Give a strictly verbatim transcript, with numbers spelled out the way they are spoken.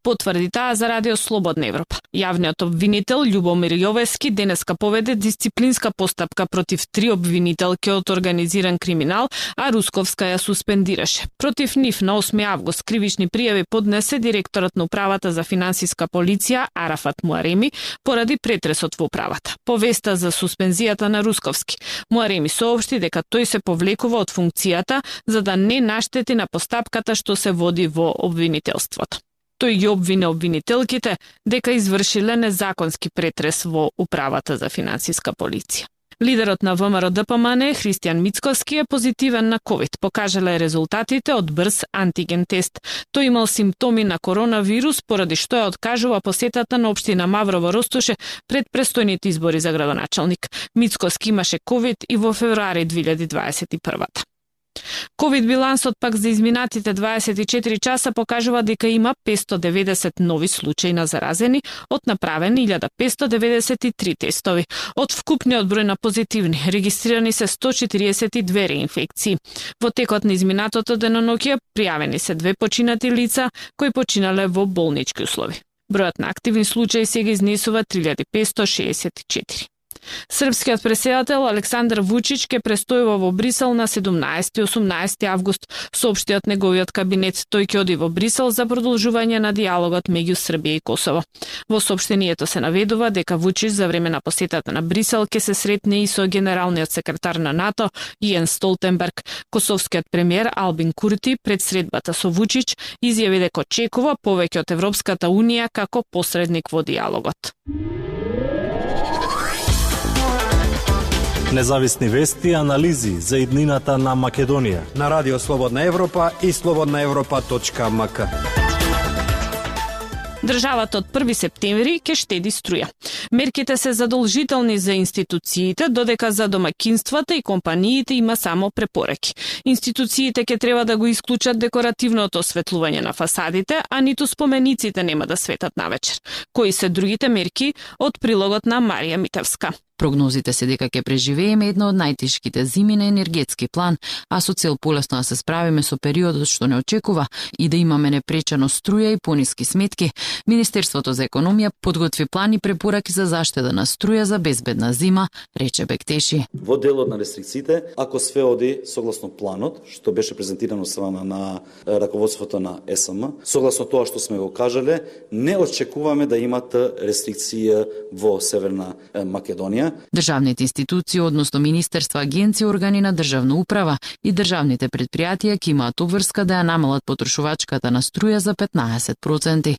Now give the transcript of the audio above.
Потврди таа за Радио Слободна Европа. Јавниот обвинител Љубомир Јовески денеска поведе дисциплинска постапка против три обвинителки од организиран криминал, а Русковска ја суспендираше. Против нив на осми август кривични пријави поднесе директорот на управата за финансиска полиција Арафат Муареми поради претресот во управата. По веста за суспензијата на Русковски, Муареми соопшти дека тој се повлекува од функцијата за да не наштети на постапката што се води во обвинителството. Тој ги обвине обвинителките дека извршиле незаконски претрес во управата за финансиска полиција. Лидерот на ВМРО-ДПМН Христијан Мицкоски е позитивен на ковид, покажале резултатите од брз антиген тест. Тој имал симптоми на коронавирус, поради што ја откажува посетата на општина Маврово Ростуше пред престојните избори за градоначалник. Мицкоски имаше ковид и во февруари две илјади дваесет и прва. Ковид билансот пак за изминатите дваесет и четири часа покажува дека има петстотини и деветдесет нови случаи на заразени од направени илјада петстотини и деветдесет и три тестови. Од вкупниот број на позитивни регистрирани се сто четиридесет и две реинфекции. Во текот на изминатото деноноќе пријавени се две починати лица кои починале во болнички услови. Бројот на активни случаи сега изнесува три илјади петстотини шеесет и четири. Српскиот претседател Александар Вучич ќе престојува во Брисел на седумнаесети и осумнаесети август, соопшти од неговиот кабинет. Тој ќе оди во Брисел за продолжување на диалогот меѓу Србија и Косово. Во соопштението се наведува дека Вучич за време на посетата на Брисел ќе се сретне и со генералниот секретар на НАТО Јенс Столтенберг. Косовскиот премиер Албин Курти пред средбата со Вучич изјави дека очекува повеќе од Европската унија како посредник во диалогот. Независни вести и анализи за иднината на Македонија на Радио Слободна Европа и слободна европа точка ем ка. Државата од први септември ќе штеди струја. Мерките се задолжителни за институциите, додека за домаќинствата и компаниите има само препораки. Институциите ќе треба да го исклучат декоративното осветлување на фасадите, а ниту спомениците нема да светат навечер. Кои се другите мерки од прилогот на Марија Митевска? Прогнозите се дека ќе преживееме една од најтешките зими на енергетски план, а со цел полесно да се справиме со периодот што не очекува и да имаме непречено струја и пониски сметки, Министерството за економија подготви план и препораки за заштеда на струја за безбедна зима, рече Бектеши. Во делот на рестрикциите, ако све оди согласно планот, што беше презентирано страна на раководството на ес ем, согласно тоа што сме го кажале, не очекуваме да имат рестрикција во Северна Македонија. Државните институции, односно министерства, агенции, органи на државна управа и државните предпријатија ќе имаат обврска да ја намалат потрошувачката на струја за петнаесет проценти.